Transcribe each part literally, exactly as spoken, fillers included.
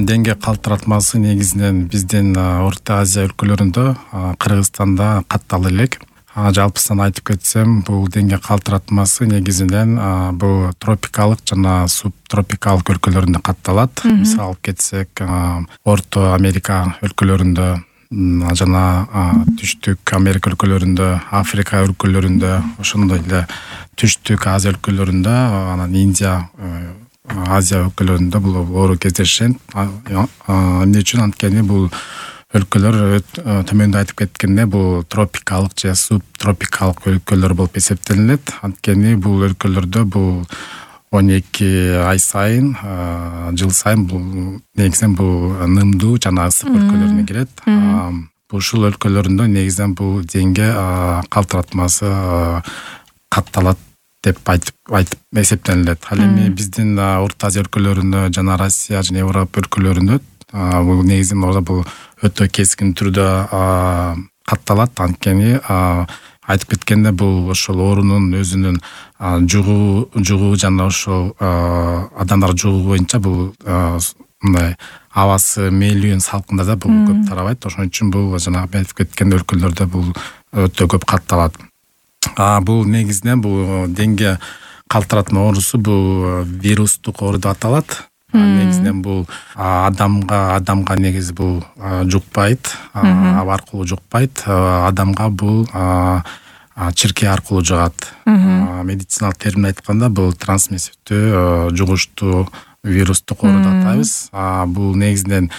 деңге калтыратмасы негизинен биздин Орто Азия өлкөлөрүндө, Кыргызстанда каттал элек. Жалпысынан айтып кетсем, бул деңге калтыратмасы негизинен бул тропикалык жана субтропикалык өлкөлөрүндө катталат. Мисалы алып кетсек, Орто Америка өлкөлөрүндө жана Түштүк Америка өлкөлөрүндө, Африка өлкөлөрүндө, ошондой эле Түштүк Азия өлкөлөрүндө, анан Индия, Азия өлкөлөрүндө бул оору кездешет. Эмне үчүн? Анткени бул өлкөлөр төмөндө айтып кеткенде бул тропикалык же субтропикалык өлкөлөр болуп эсептелинет. Анткени бул өлкөлөрдө бул он эки ай сайын, жыл сайын бул негизинен бул нымдуу жана ысык өлкөлөрүнө кирет. Ушул өлкөлөрүндө негизинен бул деңге калтыратмасы катталат деп айтып айтып эсептелинет. Ал эми биздин Орто Азия өлкөлөрүндө жана Россия жана Европа өлкөлөрүндө бул негизинен орда бул өтө кескин түрдө катталат. Анткени айтып кеткенде бул ошол оорунун өзүнүн жугуу жугуу жана ошол адамдар жугуу боюнча бул мындай абасы мээлүүн салкындарда бул көп тарабайт. Ошон үчүн бул жана айтып кеткен өлкөлөрдө бул өтө көп катталат. Бул негизинен бул деңге калтыратма оорусу бул вирустук оору деп аталат. Негизинен бул адамга адамга негизи бул жукпайт, аба аркылуу жукпайт, адамга бул чиркээ аркылуу жугат. Медициналык термин айтканда бул трансмиссивдүү жугуштуу вирустук оору деп атайбыз. Бул негизинен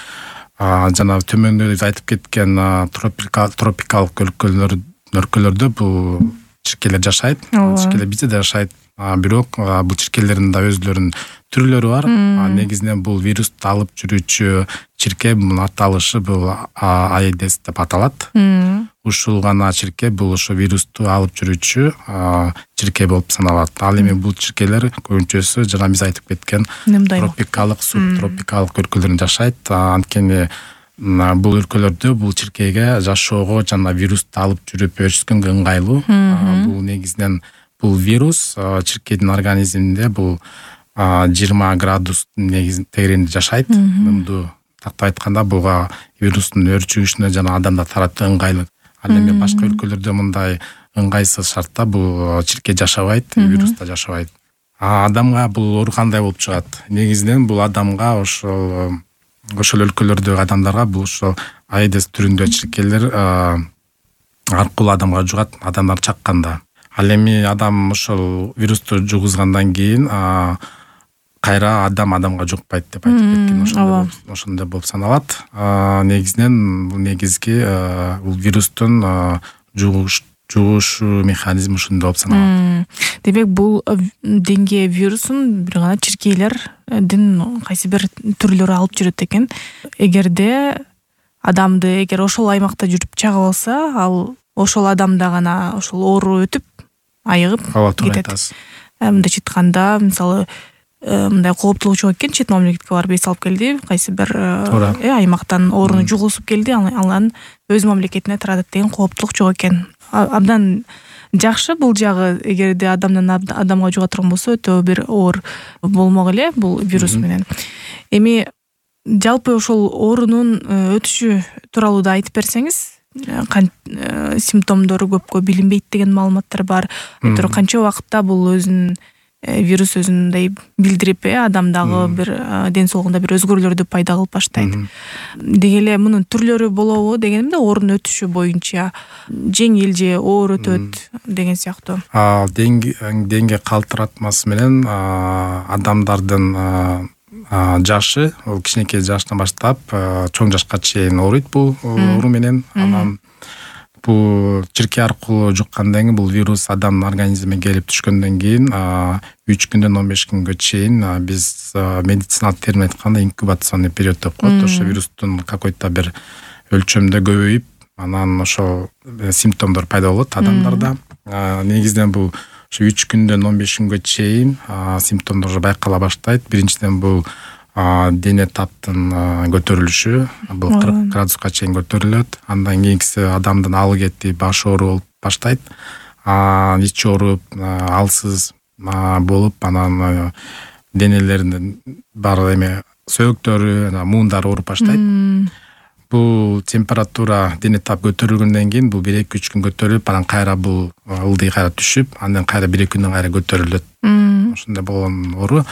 жана төмөндө айтып кеткен тропикалык өлкөлөр өлкөлөрдө бул чиркээлер жашайт. Чиркээлер бизде да жашайт. Бирок бул чиркээлердин да өзлөрүнүн түрлөрү бар. Негизинен бул вирусту алып жүрүүчү чиркээ, мунун аталышы бул Аэдес деп аталат. Ушул гана чиркээ бул ошо вирусту алып жүрүүчү чиркээ болуп саналат. Ал эми бул чиркээлер көбүнчөсү жана биз айтып кеткен тропикалык, субтропикалык өлкөлөрдө жашайт. Анткени бул өлкөлөрдө бул чиркээге жашоого жана вирусту алып жүрүп өскөнгө ыңгайлуу. Бул негизинен бул вирус чиркээдин организминде бул жыйырма градустун негизин тегерегинде жашайт. Нымдуу тактап айтканда буга вирустун өрчүгүшүнө жана адамда таратуу ыңгайлуу. Ал эми башка өлкөлөрдө мындай ыңгайсыз шартта бул чиркээ жашабайт, вирус да жашабайт. Адамга бул оору кандай болуп чыгат? Негизинен бул адамга ошол ошол өлкөлөрдөгү адамдарга бул ошол Аэдес түрүндө чиркээлер аркылуу адамга жугат, адамдар чакканда. Ал эми адам ошол вирусту жугузгандан кийин кайра адам адамга жукпайт деп айтып кеткен. Ошондой болуп саналат. Негизинен бул негизги бул вирустун жугушу механизми ушундай болуп саналат. Демек бул деңге вирусун бир гана чиркээлердин кайсы бир түрлөрү алып жүрөт экен. Эгерде адамды эгер ошол аймакта жүрүп чагып алса, ал ошол адамда гана ошол оору өтүп, айыгып кетет. Мындайча айтканда, мисалы, мындай кооптулук чыгып экен, чет мамлекетке барып эс алып келди, кайсы бир аймактан ооруну жугузуп келди, анан өз мамлекетине таратат деген кооптулук чыгып экен. Абдан жакшы бул жагы, эгерде адамдан адамга жуга турган болсо, өтө бир оор болмок эле бул вирус менен. Эми жалпы ошол оорунун өтүшү тууралуу да айтып берсеңиз, симптомдору көпкө билинбейт деген маалыматтар бар. Канча убакытта бул өзүн вирус өзүндөй билдирип, адамдагы бир ден соолугунда бир өзгөрүүлөрдү пайда кылып баштайт. Деги эле мунун түрлөрү болобу дегенимде, оорунун өтүшү боюнча жеңил же оор өтөт деген сыяктуу. Деңге калтыратмасы менен адамдардын жашы, ол кичинекей жаштан баштап чоң жашка чейин ооруйт бул оору менен. Анан бул чиркээ аркылуу жуккандан кийин бул вирус адамдын организмине келип түшкөндөн кийин үч күндөн он беш күнгө чейин биз медициналык термин айтканда инкубационный период деп коет. Ошо вирустун какой-то бир өлчөмдө көбөйүп, анан ошол симптомдор пайда болот адамдарда. Негизинен бул ошо үч күндөн он беш күнгө чейин симптомдор байкала баштайт. Биринчиден бул дене таптын көтөрүлүшү, бул кырк градуска чейин көтөрүлөт. Андан кийинкиси адамдын алы кетип, баш оору болуп баштайт. Ичи ооруп, алсыз болуп, анан денелеринин бар эме сөөктөрү, муундары ооруп баштайт. Бул температура дене тап көтөрүлгөндөн кийин бул бир эки үч күн көтөрүлүп, анан кайра бул ылдый кайра түшүп, андан кайра бир эки күндөн кайра көтөрүлөт. Ошондой болгон оору.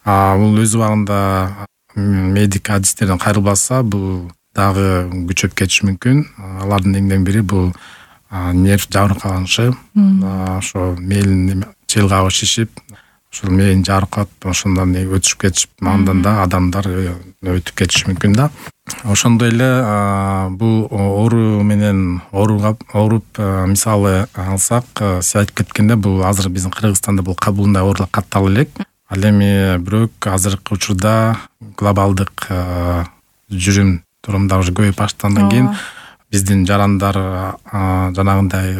А бул өз убагында медик адистерден кайрылбаса, бул дагы күчөп кетиши мүмкүн. Алардын эң бири бул нерв жабырканышы, ошо мээлин челгабы шишип, ошол мээни жабыркап, ошондон өтүшүп кетишип, андан да адамдар өтүп кетиши мүмкүн да. Ошондой эле бул оору менен ооруп мисалы алсак, сиз айтып кеткенде, бул азыр биздин Кыргызстанда бул кабылындай оорулар катталып элек. Ал эми бирок азыркы учурда глобалдык жүрүм турумдар уже көбөйүп баштагандан кийин биздин жарандар жанагындай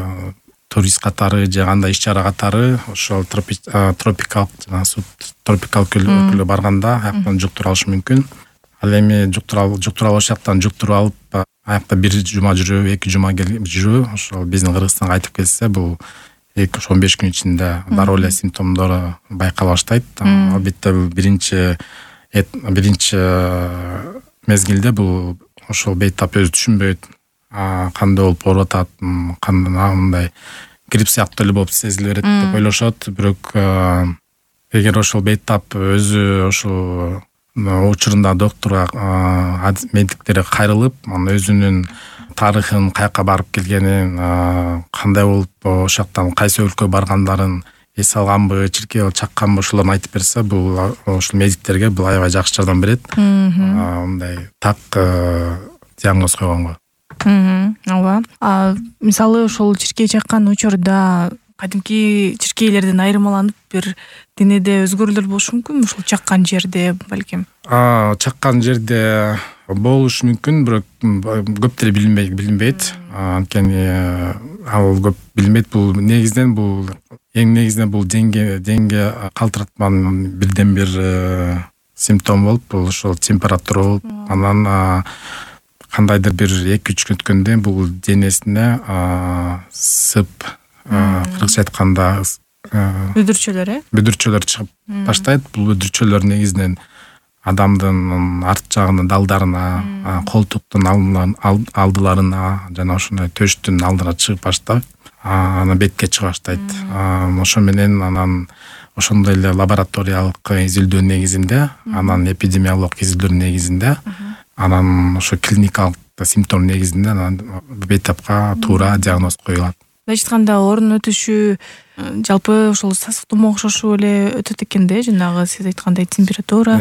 турист катары же кандай иш чара катары ошол тропикалык жана субтропикалык өлкөлөргө барганда аяктан жуктуруп алышы мүмкүн. Ал эми жуктуруп алыш жактан жуктуруп алып, аякта бир жума жүрүү, эки жума жүрүү, ошол биздин Кыргызстанга айтып келсе, бул он беш күн ичинде дароо эле симптомдору байкала баштайт. Албетте бул биринчи биринчи мезгилде бул ошол бейтап өзү түшүнбөйт, кандай болуп ооруп атат, кандай мындай грипп сыяктуу эле болуп сезиле берет деп ойлошот. Бирок эгер ошол бейтап өзү ошол учурунда доктурга, медиктерге кайрылып, анан өзүнүн тарыхын, каяка барып келгенин, кандай болуп ошол жактан кайсы өлкөгө баргандарын эс алганбы, чиркей чакканбы, ошолорду айтып берсе, бул ошол медиктерге бул аябай жакшы жардам берет. Мындай так диагноз койгонго. Ооба. Мисалы ошол чиркей чаккан учурда кадимки чиркейлерден айырмаланып бир денеде өзгөрүүлөр болушу мүмкүнбү? Ошол чаккан жерде балким. Чаккан жерде болушу мүмкүн, бирок көптөр билинбейт. Анткени ал көп билинбейт. Бул негизинен бул эң негизинен бул денге денге калтыратманын бирден бир симптому болуп, бул ошол температура болуп, анан кандайдыр бир эки үч күн өткөндө бул денесине сып, кыргызча айтканда бүдүрчөлөр, э? Бүдүрчөлөр чыгып баштайт. Бул бүдүрчөлөр негизинен адамдын арт жагынын далдарына, колтуктун алдыларына жана ошондой төштүн алдына чыгып баштап, анан бетке чыга баштайт. Ошо менен анан ошондой эле лабораториялык изилдөө негизинде, анан эпидемиологиялык изилдөө негизинде, анан ошо клиникалык симптом негизинде анан бейтапка туура диагноз коюлат. Мындайча айтканда, оорунун өтүшү жалпы ошол сасык тумо окшош эле өтөт экен да, жанагы сиз айткандай температура,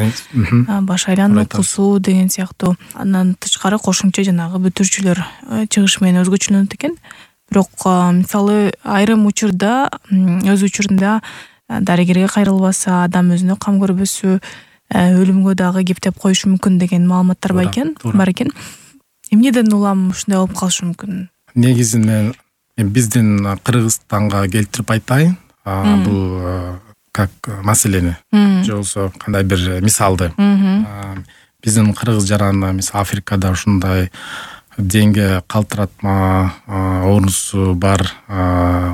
баш айлануу, кусуу деген сыяктуу. Андан тышкары кошумча жанагы бүтүрчүлөр чыгышы менен өзгөчөлөнөт экен. Бирок мисалы айрым учурда, өз учурунда дарыгерге кайрылбаса, адам өзүнө кам көрбөсө, өлүмгө дагы кептеп коюшу мүмкүн деген маалыматтар бар экен. Бар экен. Эмнеден улам ушундай болуп калышы мүмкүн? Негизинен биздин Кыргызстанга келтирип айтайын, бул как маселени, же болбосо кандай бир мисалды. Биздин кыргыз жараны мисалы Африкада ушундай денге калтыратма оорусу бар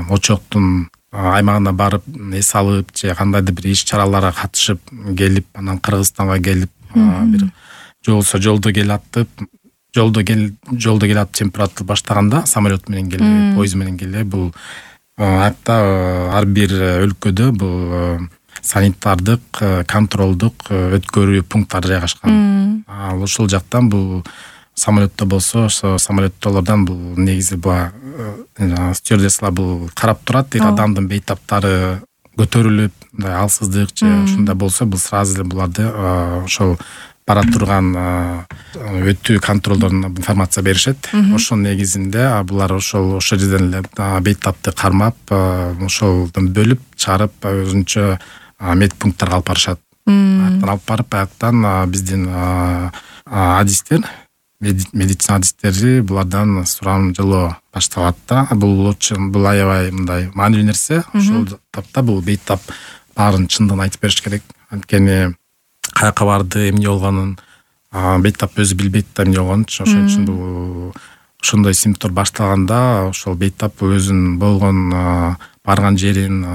очоктун аймагына барып эс алып же кандайдыр бир иш чараларга катышып келип, анан Кыргызстанга келип, бир же болбосо жолдо келатып, жолдо кел жолдо келатып температура баштаганда, самолет менен келе, поезд менен келе, бул аякта ар бир өлкөдө бул санитардык, контролдук өткөрүү пункттары жайгашкан. Ошол жактан бул самолетто болсо, ошо самолеттолордон бул негизи бул стюардессалар бул карап турат, эгер адамдын бейтаптары көтөрүлүп, мындай алсыздык же ушундай болсо, бул сразу эле буларды ошол бара турган өтүү контролдоруна информация беришет. Ошол негизинде булар ошол ошо жерден эле бейтапты кармап, ошолдон бөлүп чыгарып, өзүнчө медпункттарга алып барышат. Аяктан алып барып, аяктан биздин адистер, медицина адистери булардан сурам жылоо башталат да. Бул бул аябай мындай маанилүү нерсе. Ошол тапта бул бейтап баарын чындыгын айтып бериш керек. Анткени каяка барды, эмне болгонун бейтап өзү билбейт да, эмне болгонун. Ошон үчүн бул ошондой симптом башталганда ошол бейтап өзүнүн болгон барган жерин,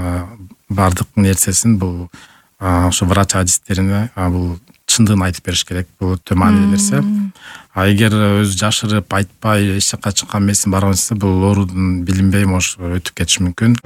бардык нерсесин бул ошо врач адистерине бул чындыгын айтып бериш керек. Бул өтө маанилүү нерсе. А эгер өзү жашырып айтпай эч жакка чыккан эмесин барган болсо, бул оорудун билинбей может өтүп кетиши мүмкүн.